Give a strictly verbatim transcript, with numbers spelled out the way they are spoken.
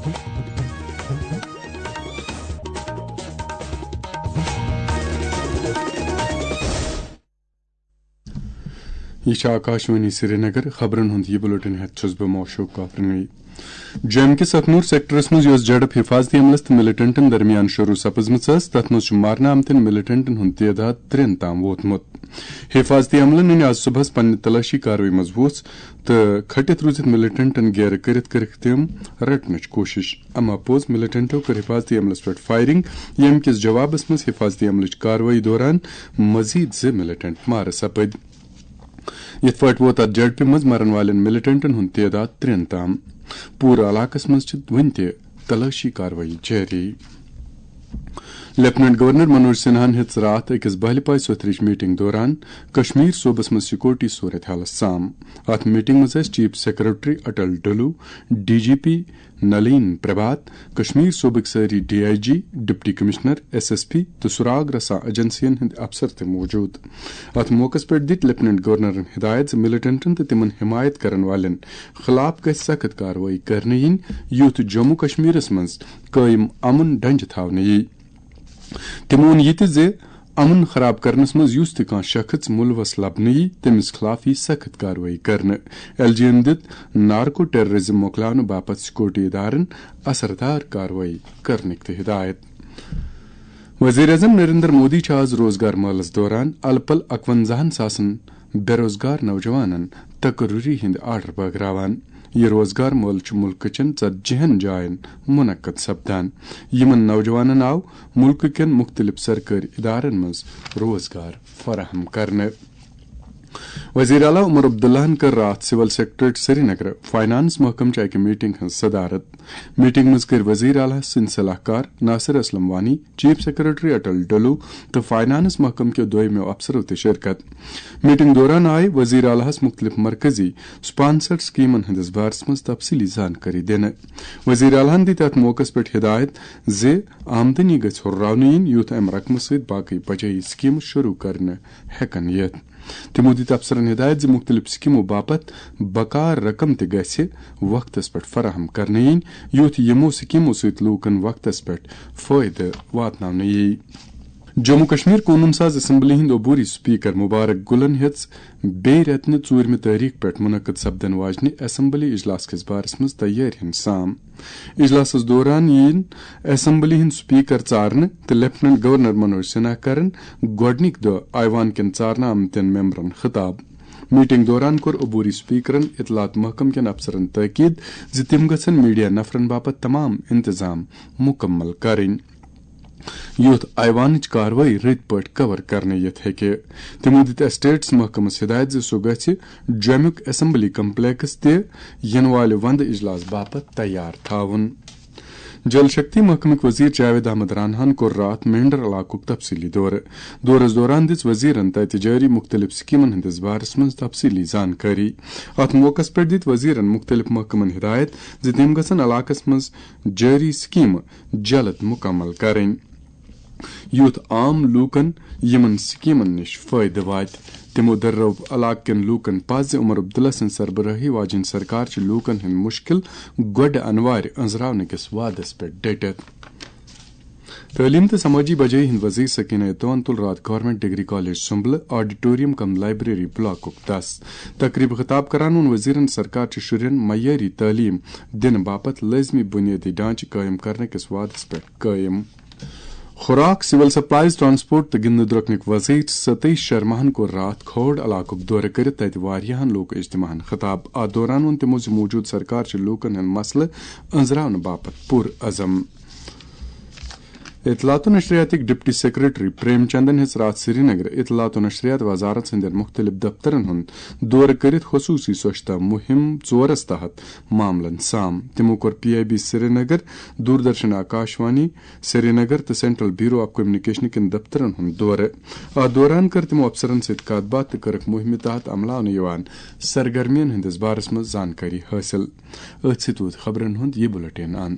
یہِ چھِ آکاشوانی سرینگر۔ خبرن ہُنٛد یہِ بُلٹن ہٮ۪تھ چھُس بہٕ موشوق کافرنوی۔ جوٚمہِ کِس اخنوٗر سیکٹرس منٛز یۄس جھڑپ حفاظتی عملس تہٕ ملیٹنٹن درمیان شروع سپٕزمٕژ ٲس، تتھ منٛز چھُ مارنہٕ آمتٮ۪ن ملیٹنٹن ہُنٛد تعداد ترٛٮ۪ن تام ووتمُت۔ حفاظتی عملن أنۍ آز صبحس پننہِ تلٲشی کاروٲیی منٛز وُژھ تہٕ کھٔٹِتھ روٗزِتھ ملیٹنٹن گیرٕ کٔرِتھ کٔرٕکھ تِم رٹنٕچ کوٗشش۔ اما پوٚز ملیٹنٹو کٔر حفاظتی عملس پٮ۪ٹھ فائرنگ، ییٚمہِ کِس جوابس منٛز حفاظتی عملٕچ کاروٲیی دوران مزید زٕ ملیٹنٹ مارٕ سپٕدۍ۔ یِتھ پٲٹھۍ ووت اتھ جھڑپہِ منٛز مرن والٮ۪ن ملیٹنٹن ہُنٛد تعداد ترٛٮ۪ن تام۔ پوٗرٕ علاقس منٛز چھِ وُنہِ تہِ تلٲشی کاروٲیی جٲری۔ لیفٹیننٹ گورنر منوج سنہاہن ہیٚژ راتھ أکِس بہلہِ پاے سوٚتھرٕچ میٹنگ دوران کشمیر صوبس منٛز سیکورٹی صورت حالس سام۔ اتھ میٹنگ منٛز ٲسۍ chief secretary Atal Dullo, D G P Nalin Prabhat, Kashmir صوبٕکۍ سٲری D I G, deputy commissioner, S S P تہٕ سراغ رساں ایجنسین ہٕنٛدۍ افسر تہِ موجود۔ اتھ موقعس پٮ۪ٹھ دِتۍ لیفٹیننٹ گورنرن ہدایت زِ ملیٹنٹن تہٕ تِمن حمایت کرن والٮ۪ن خلاف گژھِ سخت کاروٲیی کرنہٕ یِنۍ، یُتھ جموں کشمیرس منٛز قٲیِم امن ڈنجہِ تھاونہٕ یِیہِ۔ تِمو ووٚن یہِ تہِ زِ امن خراب کرنس منٛز یُس تہِ کانٛہہ شخص ملوث لبنہٕ یِیہِ، تٔمِس خلاف یِیہِ سخت کاروٲیی کرنہٕ۔ ایل جی ین دِژ نارکو ٹیررزم مۄکلاونہٕ باپتھ سیکورٹی ادارن اثردار کاروٲیی کرنٕکۍ تہِ ہدایت۔ وزیر اعظم نریندر مودی چھُ آز روزگار مٲلس دوران الہٕ پلہٕ اکونزاہن ساسن بے روزگار نوجوانن تقرری ہٕنٛدۍ آرڈر بٲگراوان۔ یہِ روزگار مٲلہٕ چھُ مُلکہٕ چٮ۪ن ژتجی ہن جاین منعقد سپدان۔ یِمن نوجوانن آو مُلکہٕ کٮ۪ن مُختٔلِف سرکٲرۍ ادارن منٛز روزگار فراہم کرنہٕ۔ وزیر اعلیٰ عمر عبداللہن کٔر راتھ سول سیکرٹریٹ سرینگر فائنانس محکمہٕ چہِ اکہِ میٹنگ ہٕنٛز صدارت۔ میٹنگ منٛز کٔرۍ وزیر اعلیٰ سٕنٛدۍ صلاح کار ناصر اسلم وانی، چیف سیکرٹری اٹل ڈلو تہٕ فائنانس محکمہٕ کیو دویمیو افسرو تہِ شرکت۔ میٹنگ دوران آیہِ وزیر اعلیٰہس مُختٔلِف مرکزی سپانسرڈ سکیمن ہٕنٛدِس بارس منٛز تفصیلی زانکٲری دِنہٕ۔ وزیر اعلیٰہن دِتۍ اتھ موقعس پٮ۪ٹھ ہدایت زِ آمدنی گژھِ ہُرراونہٕ یِنۍ، یُتھ امہِ رقمہٕ سۭتۍ باقٕے بجٲیی سکیمہٕ شروع کرنہٕ ہٮ۪کن یِتھ۔ تِمو دِتۍ افسرن ہدایت زِ مُختٔلِف سکیمو باپتھ بکار رقم تہِ گژھِ وقتس پٮ۪ٹھ فراہم کرنہٕ یِنۍ، یُتھ یِمو سکیمو سۭتۍ لوٗکن وقتس پٮ۪ٹھ فٲیدٕ واتناونہٕ یِیہِ۔ جموں کشمیر قونوٗن ساز اسمبلی ہٕنٛدۍ عبوری سپیکر مبارک گلن ہیٚژ بیٚیہِ رٮ۪تہٕ نہِ ژوٗرمہِ تٲریخ پٮ۪ٹھ منعقد سپدن واجنہِ اسمبلی اجلاس کِس بارس منٛز تیٲرۍ ہُنٛد سام۔ اجلاسس دوران یِن اسمبلی ہٕنٛدۍ سپیکر ژارنہٕ تہٕ لیفٹیننٹ گورنر منوج سنہا کرن گۄڈٕنِکۍ دۄہ ایوان کٮ۪ن ژارنہٕ آمتٮ۪ن ممبرن خطاب۔ میٹنگ دوران کوٚر عبوری سپیکرن اطلاعات محکمہٕ کٮ۪ن افسرن تاکید زِ تِم گژھن میڈیا نفرن باپتھ تمام انتظام مکمل کرٕنۍ، یُتھ ایوانٕچ کاروٲیی رٕتۍ پٲٹھۍ کور کرنہٕ یِتھ ہیٚکہِ۔ تِمو دِتۍ اسٹیٹس محکمس ہدایت زِ سُہ گژھِ جوٚمیُک اسمبلی کمپلیکس تہِ یِنہٕ والہِ وندٕ اجلاس باپتھ تیار تھاوُن۔ جل شکتی محکمٕکۍ وزیر جاوید احمد راناہن کوٚر راتھ مینڈر علاقُک تفصیلی دورٕ۔ دورس دوران دِژ وزیرن تتہِ جٲری مُختٔلِف سکیمن ہٕنٛدِس بارس منٛز تفصیلی زانکٲری۔ اتھ موقعس پٮ۪ٹھ دِتۍ وزیرن مُختٔلِف محکمن ہدایت زِ تِم گژھن علاقس منٛز جٲری سکیمہٕ جلد مکمل کرٕنۍ، یُتھ عام لوٗکن یِمن سکیمن نِش فٲیدٕ واتہِ۔ تِمو دٔرٲو علاقہٕ کٮ۪ن لوٗکن پَزِ عمر عبداللہ سٕنٛز سربرٲہی واجیٚنۍ سرکار چھِ لوٗکن ہٕنٛدۍ مُشکِل گۄڈٕ انوارِ أنٛزراونہٕ کِس وعدس پٮ۪ٹھ ڈٔٹِتھ۔ تعلیٖم تہٕ سمٲجی بجٲیی ہٕنٛدۍ وزیر سکینہ اتوان تُل راتھ گورنمنٹ ڈگری کالج سُمبلہٕ آڈیٹوریم کم لائبریری بلاکُک دس۔ تقریبہِ خطاب کران ووٚن وزیرن، سرکار چھِ شُرٮ۪ن معیٲری تعلیٖم دِنہٕ باپتھ لٲزمی بُنیٲدی ڈھانچہٕ قٲیِم کرنہٕ کِس وعدس پٮ۪ٹھ قٲیِم۔ خوراک، سول سپلائز، ٹرانسپورٹ تہٕ گِنٛدنہٕ درٛوٚکنٕکۍ وزیر ستیش شرماہن کوٚر راتھ کھوڑ علاقُک دورٕ کٔرِتھ تتہِ واریاہن لوک اجتماعن خطاب۔ اتھ دوران ووٚن تِمو زِ موجودٕ سرکار چھِ لوٗکن ہٕنٛدۍ مسلہٕ أنٛزراونہٕ باپتھ پُر عزم۔ اطلاعات و نشریاتٕکۍ ڈپٹی سیکرٹری پریم چندن ہیٚژ راتھ سرینگر اطلاعات و نشریات وزارت ہٕنٛدٮ۪ن مُختٔلِف دفترن ہُنٛد دورٕ کٔرِتھ خصوٗصی سوچھتا مُہِم ژورس تحت معاملن سام۔ تِمو کوٚر P I B Srinagar, Doordarshan Akashvani Srinagar تہٕ سینٹرل بیورو آف کمیونیکیشن کٮ۪ن دفترن ہُنٛد دورٕ۔ اتھ دوران کٔر تِمو افسرن سۭتۍ کتھ باتھ تہٕ کٔرٕکھ مُہِمہِ تحت عملاونہٕ یِوان سرگرمین ہٕنٛدِس بارس منٛز زانکٲری حٲصِل۔ أتھۍ سۭتۍ ووت خبرن ہُنٛد یہِ بُلٹن اند۔